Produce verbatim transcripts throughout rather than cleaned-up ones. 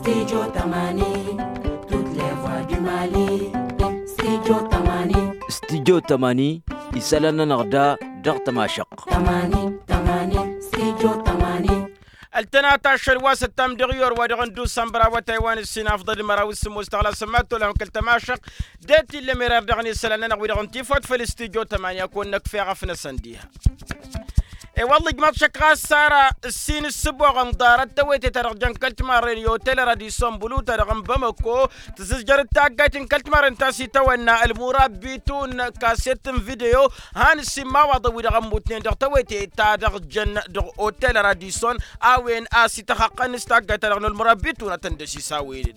Studio tămani. Toutes les voix du mali. Studio tămani. Studio tămani. Isălan-nănăɣ da dăɣ-tămašăɣt. Tămani tămani. Studio tămani. Ăltănat ašăl wa s-ăttam dăɣ-iyor wa dăɣ-n dusămbăr awătay wa n-ǝssin afḍăl d-măraw s-sǝmmos tăɣla s-ămmat tolăhăm kăl-tămašăɣt. De-t illa mirar dăɣ-nisălan-nănăɣ wi-dăɣ n-tifot făll-studio tămani ad-kăwăn-năkf eɣăf-năsăn diha. E-wălla ijmaḍ šăkk ɣas s-ara ǝssin ǝssǝboɣăn ḍarăt tawăyte-ta-dăɣ jăn kăl-timarren i-otel radison bulu-ta-dăɣ n-bamăko. Tǝzǝzjăr d-taggayt n-kăl-timarren ta s-itawănna ălmurabitun kaset n-video. Han ǝssin imawaḍăn wi-dăɣ ămmutnen dăɣ-tawăyte-ta-dăɣ jăn dăɣ-otel radison a-wen a-s ităxăqqăn s-taggayt-ta-dăɣ n-ălmurabitun ad-tăn-dăsisawăynen.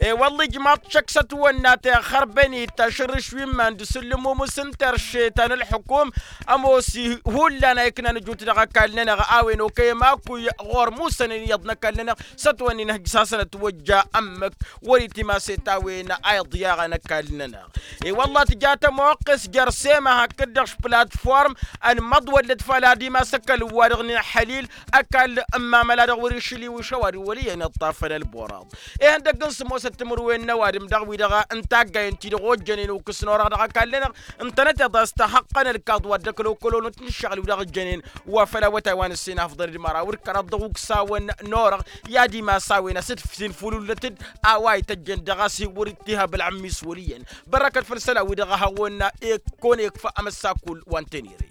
E-wălla ijmaḍ šăkk s-ătwănna tixărbănit tašărrǝš wi n-iman d-asǝllǝmumǝs n-terše ta n-ălxukum. Ămoos hullan a iknan ăjut dăɣ-ăkall-nănăɣ a-wen okăyăm akǝy ɣur-musănen iyyăḍ n-ăkall-nănăɣ s-ătwănna inhăjj-s hasăn-ătwăjja ămmǝk wăr-itimas i-ta-wen a iḍyaɣăn ăkall-nănăɣ. E-wălla tǝja tămoqqes jer-sema hakd-dăɣ platform ănmăḍwăllăt făll-ad-ima s-ăkall wa-dăɣ n-inhălil ăkall n-imamăla dăɣ-wăr-išǝl iwǝš ăwadǝm wăl' iyyăn iṭṭafăn ălboraḍ. Ihăndăgg n-sǝmmosăt timǝrwen n-ăwadǝm dăɣ-wi-dăɣ n-taggayen-ti-dăɣ ojjănen ukǝs n-orăɣ dăɣ-ăkall-nănăɣ ǝntănăteḍ a-s tăxăqqăn ălkaḍ wa dd-ăklokolonăt n-ǝššăɣǝl-wi-dăɣ ǝjjănen wa făll-awătay wa n-ǝssin afḍăn d-măraw d-kăraḍ dăɣ-uksawen n-orăɣ i-ad-imas a-wen asǝtfǝs infululnăt-dd a-wa ităjjăn dăɣ-a-s wăr-dd-tihăb ălɣǝmmis wăl' iyyăn. Bărrăkăt făll-isălan-wi-dăɣ a hawăn-ikkonekf amăssakul wa n-tenere.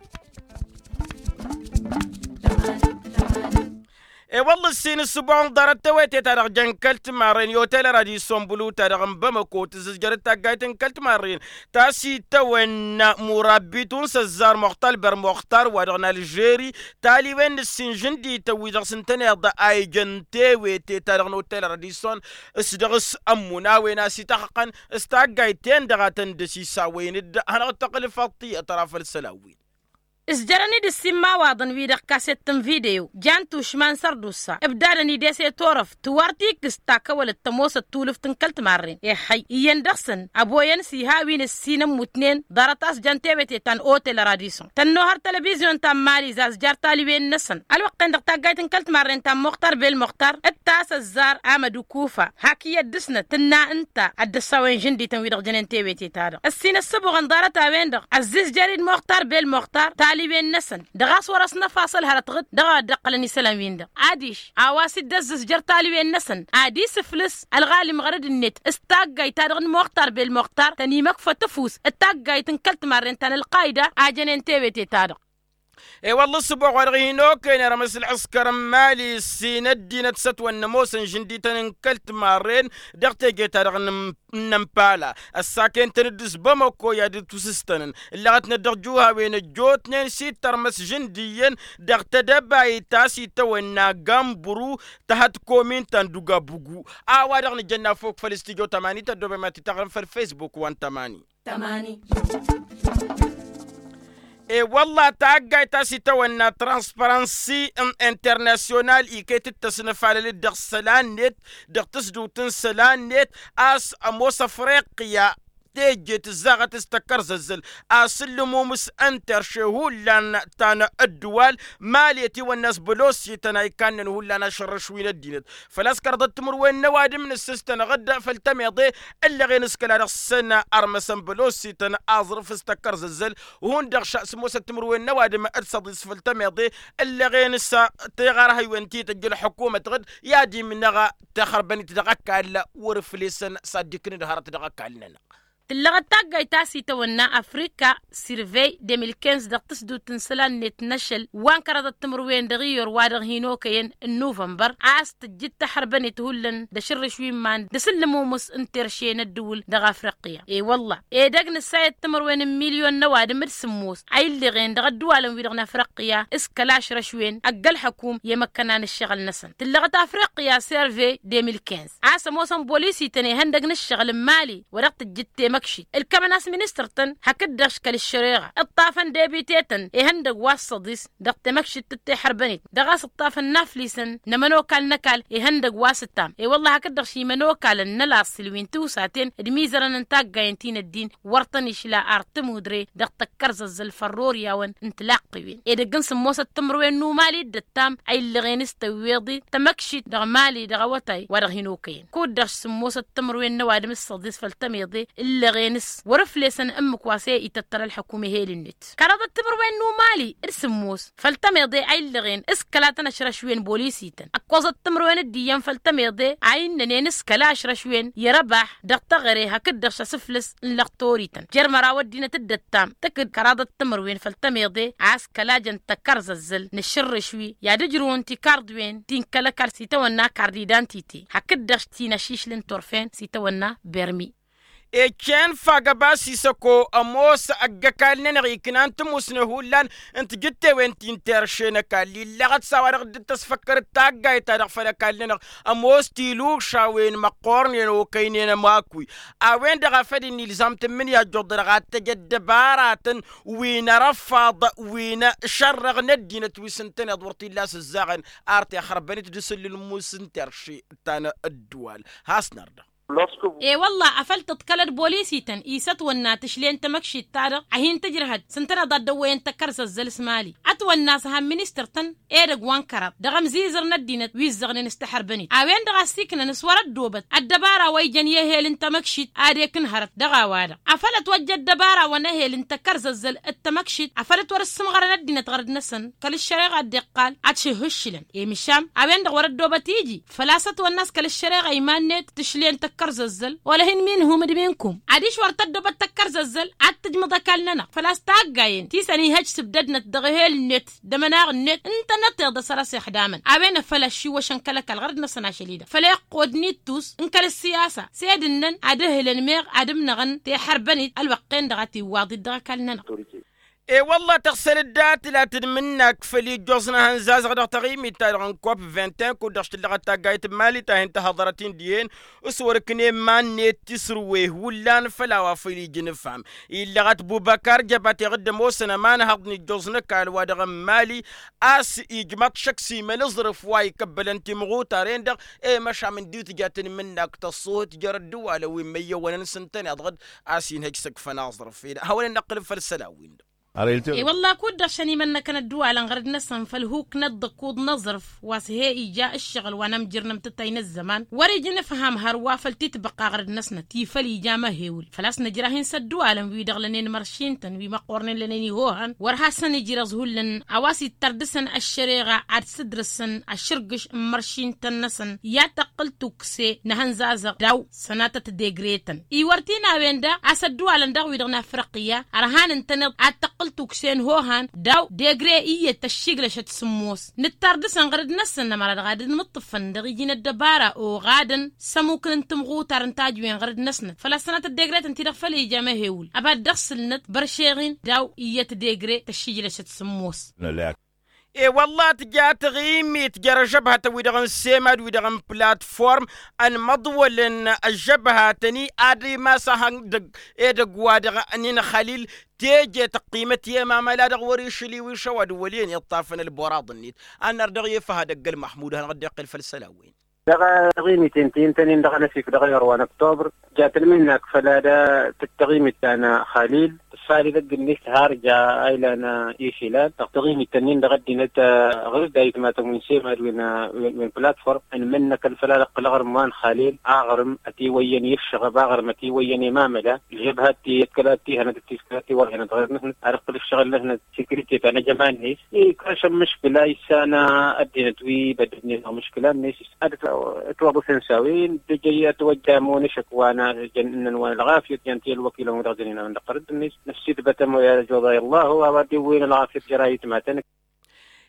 E-wălla ǝssin ǝssǝboɣăn ḍarăt tawăyte-ta-dăɣ jăn kăl-timarren i-otel radison bulu-ta-dăɣ n-bamăko tǝzzǝzjăr d-taggayt n-kăl-timarren ta s-itawănna murabbitun s-ăzzar muxtar ber muxtar wa dăɣ-nalžeri. Taliwen n-ǝssin žǝndităn wi-dăɣ s-ǝntăneḍ a ijăn tewete-ta-dăɣ n-otel radison s-dăɣ-s ămmun a-wen a-s ităxăqqăn s-taggayt-ten-dăɣ a tăn-dd-ăsisawăyăn-dd hanăɣ-tăɣlǝfăḍ tiyyăt ăra făll-isălan-win. Ǝzjărăn-dd ǝssinmawaḍăn-wi-dăɣ kaset n-video jan tušma n-sărdusa ǝbdadăn idese turăft tiwar tikǝst ta kăwălăt tămoosăt tulǝft n-kăl-timarren. Ehăy iyyăn dăɣ-săn ăboyăn s-iha wi n-ǝssin ămmutnen ḍarăt a-s jan tewete ta n-otel radison tănnuhăr televizyon ta n-mali zazjar taliwen-năsăn ălwăqq-en dăɣ-taggayt n-kăl-timarren ta n-muxtar bel muxtar d-ta s-ăzzar amăd ukufa hak iyyăt dăɣ-snăt tǝnna ǝnta ad-dd-ăssawăyăn žǝndităn wi-dăɣ jănen tewete-ta-dăɣ ǝssin ăssăbuɣăn ḍarăt-a-wen-dăɣ ăzzizjăr-dd muxtar bel muxtar taliwen-năsăn dăɣ-a-s wăr-ăsnăfasăl hărăt ɣǝd dăɣ-a dd-ăqqălăn isălan-win-dăɣ adiš a-wa s-dd-ăzzizjăr taliwen-năsăn ad-isǝflǝs ălɣalim ɣărăd-net s-taggayt-ta-dăɣ n-muxtar bel muxtar tăn-imăkfăt ăfuss d-taggayt n-kăl-timarren ta n-ălqayda a jănen tewete-ta-dăɣ. E-wălla ăssăbuɣ wa dăɣ-hin-okăyăn irmǝs ălɣǝskăr n-imali ǝssin ăddinăt s-ătwănna ămoosăn žǝndităn n-kăl-timarren dăɣ-teje-ta-dăɣ n-ămpala ăssakăyăn-tăn-dd s-bamăko i-ad-dd-tusǝstănăn ǝllăɣătnăt dăɣ-juhawen ăjjootnen s-ittărmăs žǝndiyăn dăɣ-tedăbayt ta s-itawănna gambru tăhăt komin ta n-dugabugu. A-wa-dăɣ nǝjănna fok făll-studyo tămani tăddobem ad-t-taɣrǝm făll-facebook wa n-tămani. E-wălla taggayt ta s-itawănna transparansi internasyonal iket-dd tăsnăfalăl-dd dăɣ-isălan-net dăɣ-tǝsdǝwt n-isălan-net a-s ămoos afriqya teje tǝzzaɣăt s-tăkkărzăzzăl asǝllǝmum s-ǝnterše hullan ta n-ăddǝwal mali ătiwănna a-s bălosităn a ikannăn hullan ašărrăš wi n-ăddinăt. Făl-a-s kăraḍăt timǝrwen n-ăwadǝm nǝssǝstănăɣ-dd făll-tămeḍe ǝllăɣen s-kăla dăɣ-săn armăsăn bălosităn aẓrǝf s-tăkkărzăzzăl hundăɣ šăɣ s-ămoosăt timǝrwen n-ăwadǝm d-săḍis făll-tămeḍe ǝllăɣen s-teɣarhăywen ti tăjj ălḥukumăt ɣǝd i-ad-imnăɣ tixărbănit dăɣ-ăkall wăr-ǝflesăn s-ad-dd-iknǝd hărăt dăɣ-ăkall-nănăɣ. Tǝllăɣăt taggayt ta s-itawănna afrika sirvey de mil kinz dăɣ-tǝsdut n-isălan-net n-ašăl wa n-kăraḍăt timǝrwen dăɣ-iyyăr wa dăɣ-hin-okăyăn n-nuvănbăr a-s tǝjjǝd taḥărbănet hullan d-ašǝrrǝš wi n-iman d-asǝllǝmumǝs n-terše n-ăddǝwǝl dăɣ-afriqya. E-wălla edăgg nǝssayăt timǝrwen n-milyon n-ăwadǝm d-sǝmmos a illăɣen dăɣ-ăddǝwalăn-wi-dăɣ n-afriqya s-kăla ašrăš-wen ăgg-ălxăkum i-măkkăna n-ǝššăɣǝl-năsăn tǝllăɣăt afriqya serve de mil kinz a-s ămoosăn bolisităn ihăndăg n-ǝššăɣǝl n-mali wa dăɣ-tǝjjǝtte. tămăkšit ǝlkămăn a-s ministăr-tăn hakd-dăɣ kăl-ăššăreɣa ǝṭṭafăn debitetăn ihăndăgg wa s-săḍis dăɣ-temăkšit tǝttexărbănet dăɣ-a-s ǝṭṭafăn n-aflisăn n-ămănokal n-ăkall ihăndăgg wa s-ǝttam i-wălla hakd-dăɣ šimănokalăn n-ălaṣṣil wi n-tiwsaten d-imizărăn n-taggayen ti n-ăddin wăr tăn-išla ar tămudre dăɣ-tăkkărzăzzăl fărroriyawăn n-tilaqqǝwen edăgg n-sǝmmosăt timǝrwen n-umali dd-ăttam a illăɣen s-tăwweḍe tămăkšit dăɣ-mali dăɣ-awătay wa dăɣ-hin-okăyăn kud-dăɣ sǝmmosăt timǝrwen n-ăwadǝm s-săḍis făll-tămeḍe illăɣen s-wăr-ǝflesăn ǝmmǝk wa s-e-ităttăr ălḥăkum ehel-net kăraḍăt timǝrwen n-umali d-sǝmmos făll-tămeḍe a illăɣen s-kăla tăn-ăšrăšwen bolisităn ăkkoẓăt timǝrwen d-iyyăn făll-tămeḍe a innănen s-kăla ăšrăšwen i-răbaḥ dăɣ-teɣăre hakd-dăɣ šăsǝflǝs n-lăɣtorităn jer-măraw ăddinăt dd-ăttam tǝkǝd kăraḍăt timǝrwen făll-tămeḍe a-s kăla jăn tăkkărzăzzăl n-ašǝrrǝš wi i-ad-ǝjrǝwăn tikarḍwen ti n-kăl-ăkall s-itawănna kardidantite hakd-dăɣ ti n-ašišlǝn turfen s-itawănna bermi. Ecen fagăba s-isăko ămoos ăgg-ăkall-nănăɣ iknan timusne hullan n-tijǝttewen ti n-terše n-ăkall illăɣăt s-a-wa-dăɣ dd-tăsfăkkăr d-taggayt-ta-dăɣ făll-ăkall-nănăɣ ămoos tilušawen măqqornen okăynen ămakui a-wen-dăɣ a făl dd-nilzam tǝmmǝnǝya ăjjuḍ-dăɣ ad-tăj ăddăbaratăn wi n-arăfaḍ wi n-ašărrăɣ n-ăddinăt wi s-ǝntăneḍ wăr t-illa a-s ǝzzaɣăn ar t-ixărbăn-it d-asǝllǝl n-imus n-terše ta n-ădduwal. Has-năr-dăɣ. E-wălla-ɣ afăl tǝḍkălăd bolisităn isătwănna tǝšle n-tamăkšit-ta-dăɣ a hin-tǝjrăhăd s-ǝntăneḍ ad-dăwwăyăn tăkkărzăzzăl s-mali ătwănna a-s han ministăr-tăn edăgg wa n-kăraḍ dăɣ-ămzizăr n-ăddinăt wi ǝzzăɣnen s-taḥărbănit a-wen-dăɣ a ăssiiknăn s-wăr-ăddoobăt ăddăbara wa ijăn i-ehel n-tamăkšit ad-ekǝn hărăt dăɣ-a-wa-dăɣ afăl ătwăjja ăddăbara wa n-ehel n-tăkkărzăzzăl d-tamăkšit afăl ătwăr-ǝssǝmɣărăn ăddinăt ɣărăt-năsăn kăl-ăššăreɣa dd-iqqal ad-šǝhhǝššǝlăn i-mǝšam a-wen-dăɣ wăr-ăddoobăt iji făl-a-s ătwănna a-s kăl-ăššăreɣa iman-net tǝšle n-tăkkărzăzzăl wăla hin-minhum d-minkum adiš wăr tăddoobăt tăkkărzăzzăl ad-tǝjmǝḍ ăkall-nănăɣ făl-a-s taggayen ti săn ihăj s-ǝbdădnăt dăɣ-ehel-net d-amănaɣ-net ǝntăneḍ tiḍăsăr a-s ixdamăn a-wen a făl ăššiwăšăn kăl-ăkall ɣărăt-năsăn ašăl-i-dăɣ făl iqqud n-ittus n-kăl-ăssiyasa s-ed ǝnnăn ad-ǝhlǝn meɣ ad-ǝmnăɣăn teḥărbănit ălwăqq-en-dăɣ a tiwwaḍit dăɣ-ăkall-nănăɣ. E-wălla-ɣ tăɣsăl dd-atǝla tǝdmǝnnak făll-ijjoẓ n-ehăn zazăɣ dăɣ-taɣimit-ta-dăɣ n-kop vingt-un kud-dăɣ s-tǝllăɣăt taggayt n-mali ta hin-tăhăḍărăt-in dihen s-wăr-ǝknen iman-net tisrǝwe hullan făll-a-wa făll-ijǝn ǝfham illăɣăt bubăkar jăbat iɣǝdd ămoosăn ămanhăḍ n-ijjoẓ n-ăkall wa dăɣ-n mali a-s ijmăḍ šăkk s-imăl aẓrǝf wa ikăbbălăn timɣutaren-dăɣ i-măšan d-iwǝtja tǝnmǝnnak tăṣṣuhǝt jer-ăddǝwalăn wi n-imăyyăwănăn s-ǝntăneḍ-dăɣ a-s inhăj s-ǝkfăn aẓrǝf-en ad-hawăn-ănnăqqǝl făll-isălan-win-dăɣ. E-wălla-ɣ kud-dăɣ šăn imănnăkăn ăddǝwalăn ɣărăt-năsăn făll-huknăt d-ăkkuḍ n-aẓrǝf wa s-he-ija ǝššăɣǝl wa n-amjǝr n-amtǝttay n-ăzzăman wăr-ija n-ǝfham hărwa făll-titbăqqa ɣărăt-năsnăt ti făll-ija amăhewǝl făl-a-s nǝjrah-in s-ăddǝwalăn wi-dăɣ lănen măršin-tăn wi măqqornen lănen ihohăn wăr hasăn-ijrăẓ hullan a-wa s-ittăr dăɣ-săn ăššăreɣa ad-sǝdrǝsăn ašǝrgǝš n-imăršin-tăn-năsăn i-ad-tăqqǝl tukse n-ehăn zazăɣ daw-sănatăt degre-tăn iwăr t-in-a-wen-dăɣ a-s ăddǝwalăn daɣ wi-dăɣ n-afriqya ărhan ǝntăneḍ ad-tăqqǝl tukse n-hohan daw degre iyyăt tăššiglăšăt sǝmmos nǝttar dăɣ-săn ɣărăd-năsăn ămăra dăɣ-ad-dd-mǝṭṭǝfăn dăɣ-iji n-ăddăbara oɣadăn s-ămukǝn n-timɣutar n-tajǝwen ɣărăd-năsnăt făl-ăssanăt ăddegretăn-ti-dăɣ făll-ija măhewǝl ăba dd-ăɣsǝlnăt băršeɣ-in daw iyyăt degre tăššiglăšăt sǝmmos. E-wălla-ɣ tǝja taɣimit jer-ažăbhătăn-wi-dăɣ n-semad wi-dăɣ n-platform ănmăḍwălăn ăžžăbhatăn-i ad-imas ahăndăgg edăgg wa dăɣ-nin xalil teje tăqqimăt i-emamăla dăɣ-wăr-išǝl iwišăw ad-wăl' iyyăn iṭṭafăn ălboraḍ-net. Ad-năr dăɣ-i efăh ad-ăgg-ălmăḥmud ad-hanăɣ-dd-iqqǝl făll-isălan-wen. Dăɣ-taɣimit-en ti ǝntănen dăɣ-anăsif dăɣ-iɣăr wa n-ăktobăr ja tǝlmǝnnak făll-ad-a taɣimit ta n-xalil tǝssalǝd ăgg-net har ja a ilan išilan dăɣ-taɣimit-tăn-in dăɣ-ăddinăt ɣǝr-dd a itmatăn wi n-semad wi n-platform ănmǝnnăkăn făll-ad-ăqqǝl aɣrǝm wa n-xalil aɣrǝm ătiwăyyăn i-ǝššăɣăb aɣrǝm ătiwăyyăn i-mamăla ǝlžăbhat ti ătkăla ăttihănăt ăttiskăla ătiwăḍhănăt ɣer-năsnăt ad-ăqqǝl ǝššăɣǝl-năsnăt sekirite ta n-ejăma-net. Ikăš ămmǝškǝla issan ăddinăt wi băddǝdnen dăɣ-mǝškǝla-net ad-ǝtwăḍǝsăn s-a-wen d-ejăy ătwăjja ămonăšăk wa n-ajăn ǝnnăn wa n-ălɣafyăt jăn ti ălwăkilăn wi dăɣ-jăn inawăn dăɣ-tărǝdd-net năssiidbăt ămoyal ăjoḍay ăllahu a-wa dd-iwwin ălɣafyăt jer-ayǝtmatăn.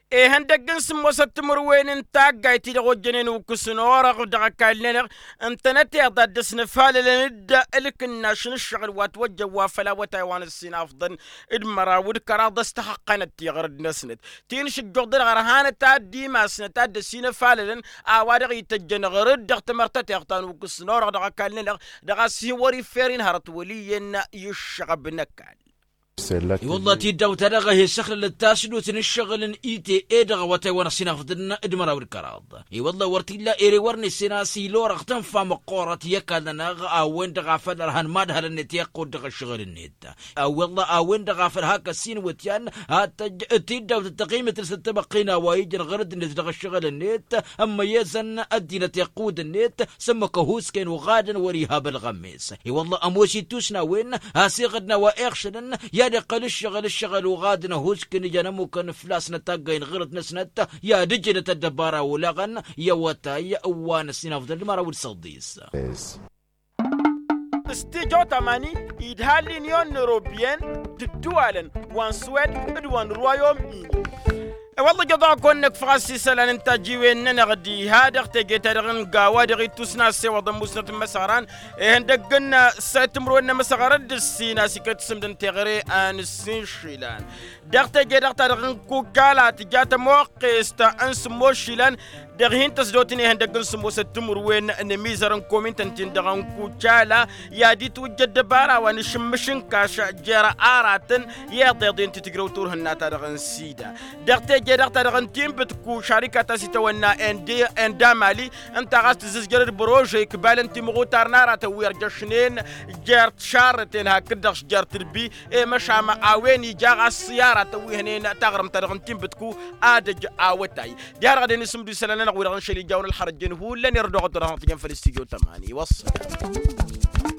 Ihăndăgg n-sǝmmosăt timǝrwen n-taggayt-i-dăɣ ojjănen ukǝsăn orăɣ dăɣ-ăkall-nănăɣ ǝntănăteḍ ad-dd-ăsnăfalălăn-dd ǝlkǝnnaš n-ǝššăɣǝl wa ătwăjjăn wa făll-awătay wa n-ǝssin afḍăn d-măraw d-kăraḍ a-s tăxăqqanăt tiɣrǝd-năsnăt ti n-šǝjjoḍ-dăɣ ărhanăt ad-dd-imasnăt ad-dd-ăsinăfalălăn a-wa-dăɣ ităjjăn ɣǝrǝd dăɣ-tamărtăteɣt ta n-ukǝsnăɣ dăɣ-ăkall-nănăɣ dăɣ-a-s hin-wăr-ifferen hărăt wăl' iyyăn i-ǝššăɣăb n-ăkall. I-wălla tiddaw-ta-dăɣ a he-săxlălăt tasdut n-ǝššăɣǝl n-ite e-dăɣ awătay wa n-ăsinafḍăn d-măraw d-kăraḍ. I-wălla wăr t-illa ere wăr nessen a-s ila orăɣ tănfa măqqoorăt i-ăkall-nănăɣ a-wen-dăɣ a făl ărhan madhălăn-net i-iqqud dăɣ-ǝššăɣǝl-net. A-wălla a-wen-dăɣ a făl hak ăssin iwǝtyan ad-tăjj tiddaw-tăt tăɣimǝt-năsnăt tămăqqina wa ijăn ɣărăd-net dăɣ-ăššăɣǝl-net ămmăyyăzăn ăddinăt iqqud-net s-ămmăk ăhuusken uɣadăn wăr-ihab ălɣămmes. I-wălla ămoos ittusna a-wen a-s iɣǝdna wa iɣšălăn i-ad-iqqăl ǝššăɣǝl ǝššăɣǝl uɣadăn ăhuusken ijăn ămmukăn flasnăt taggay n-ɣărăt-năsnăt i-ad-ǝjǝnăt ăddăbara olaɣăn i-awătay wa n-ăsinafḍăn d-măraw d-săḍis. S-tijo tamani idha l-inyon n-europyen d-ǝddǝwalăn wa n-swed d-wa n-rwayom-ini. E-wălla ijăḍ-a-kăwăn-năkf ɣas isălan n-tajjiwen-nănăɣ diha dăɣ-teje-ta-dăɣ n-gawa dăɣ-ittusna ăssewăḍăn musnăt n-imăsăɣran ihăndăgg n-săyt timǝrwen n-imăsăɣran d-ǝssin a-s iket s-ǝmdăn teɣăre a n-ǝssin išilan. Dăɣ-teje-dăɣ ta dăɣ-n kucala tǝja tămoqqest n-sǝmmos išilan dăɣ-hin-tăsdot n-ihăndăgg n-sǝmmosăt timǝrwen n-emizăr n-komintăn-tin-dăɣ n-kucala i-ad-itwǝjja ăddăbara wa n-ašǝmmǝš n-kaš jer-aratăn i-iḍeḍen ti tǝjrăw turhǝnna ta dăɣ-n sida. Dăɣ-teje-dăɣ ta dăɣ-n tinbǝtku šarikat a-s itawănna enda mali ǝnta ɣas tǝzzǝzjăr d-bărože ikbalăn timɣutar n-aratăn wi ărjăšnen jer-tišarrăten hakd-dăɣ jer-tǝrbi. I-măšan a-wen ija ɣas s-i-aratăn wi hănen taɣrǝmt-ta-dăɣ n-tinbǝtku ad-ăj awătay. Diha-dăɣ ad-ănisǝmdǝw isălan-nănăɣ wi-dăɣ n-šăl ijawăn ălxărăt jen hullan irădoɣăt wa dăɣ-tăjăn făll-s tijo tămani wăṣṣălan.